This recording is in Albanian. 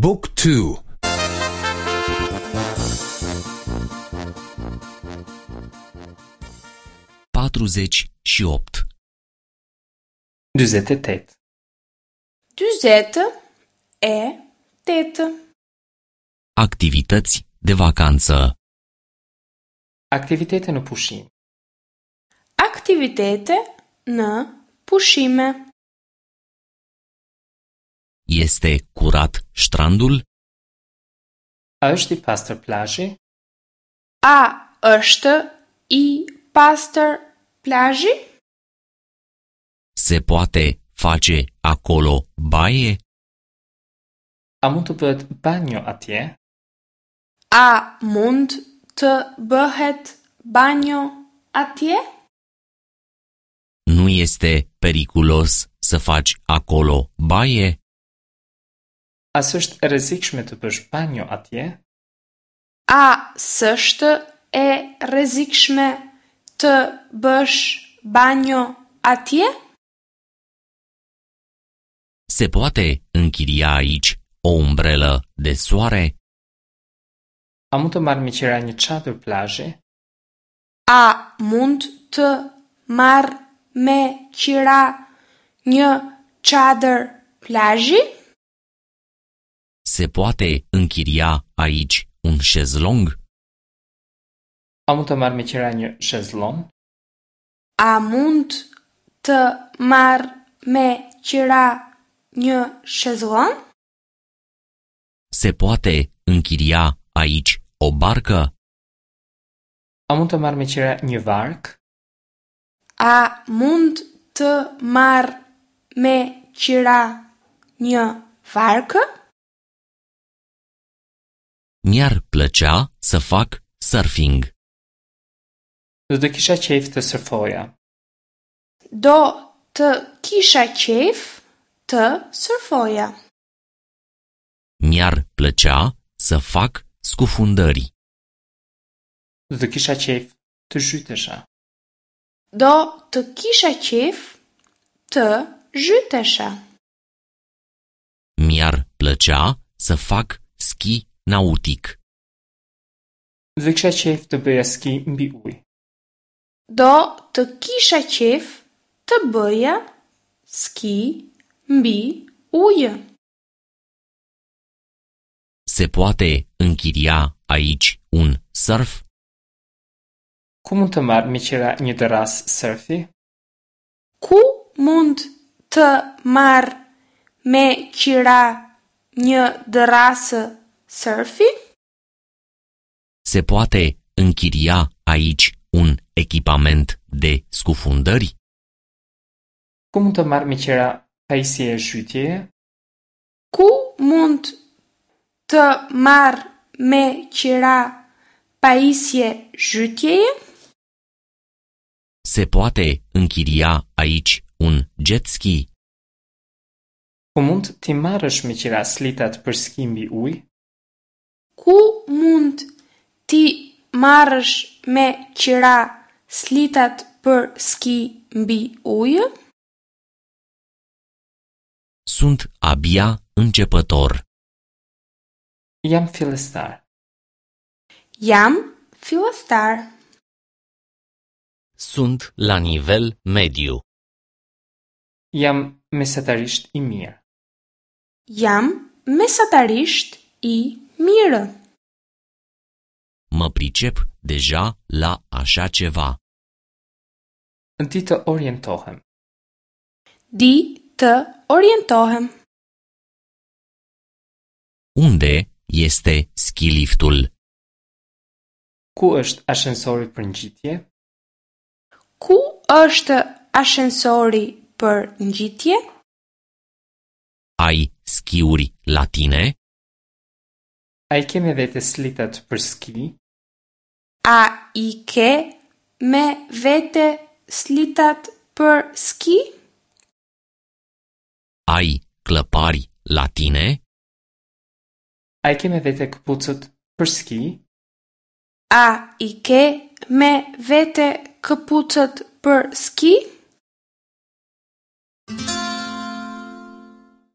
บุ๊กทู 48. 48. 48. Activități de vacanță. Aktivitete në pushim. Aktivitete në pushime. Este curat strandul? A është i pastër plazhi? A është i pastër plazhi? Se poate face acolo baie? A mund të bëhet banjo atje? A mund të bëhet banjo atje? Nu este periculos să faci acolo baie? A s'është e rrezikshme të bësh banjo atje? A s'është e rrezikshme të bësh banjo atje? Se poate închiria aici o umbrelă de soare? A mund të marr me qira një çadër plazhi? A mund të marr me qira një çadër plazhi? Se poate închiria aici un șezlong? A mund të marr me qira një shezlon? A mund të marr me qira një shezlon? Se poate închiria aici o barcă? A mund të marr me qira një varkë? A mund të marr me qira një varkë? Mi-ar plăcea să fac surfing. Do të kisha qejf të surfoja. Do të kisha qejf të surfoja. Mi-ar plăcea să fac scufundări. Do të kisha qejf të zhytesha. Do të kisha qejf të zhytesha. Mi-ar plăcea să fac schi nautic. Do të kisha qejf të bëja ski mbi ujë. Do të kisha qejf të bëja ski mbi ujë. Se poate închiria aici un surf? Ku mund të marr me qira një dërrasë surfi? Ku mund të marr me qira një dërrasë surfi? Se poate închiria aici un echipament de scufundări? Ku mund të marr me qira pajisje zhytjeje? Ku mund të marr me qira pajisje zhytjeje? Se poate închiria aici un jet ski? Ku mund t'i marrësh me qira slitat për ski mbi ujë? Ku mund t'i marrësh me qira slitat për ski mbi ujë? Sunt abia începător. Jam fillestar. Jam fillestar. Sunt la nivel mediu. Jam mesatarisht i mirë. Jam mesatarisht i mirë. Mă pricep deja la așa ceva. Di të orientohem. Di të orientohem. Unde este schiliftul? Ku është ashensori për ngjitje? Ku është ashensori për ngjitje? Ai schiuri la tine? A i ke me vete slitat për ski? A i ke me vete slitat për ski? Ai clăpari la tine? A i ke me vete këpucët për ski? A i ke me vete këpucët për ski?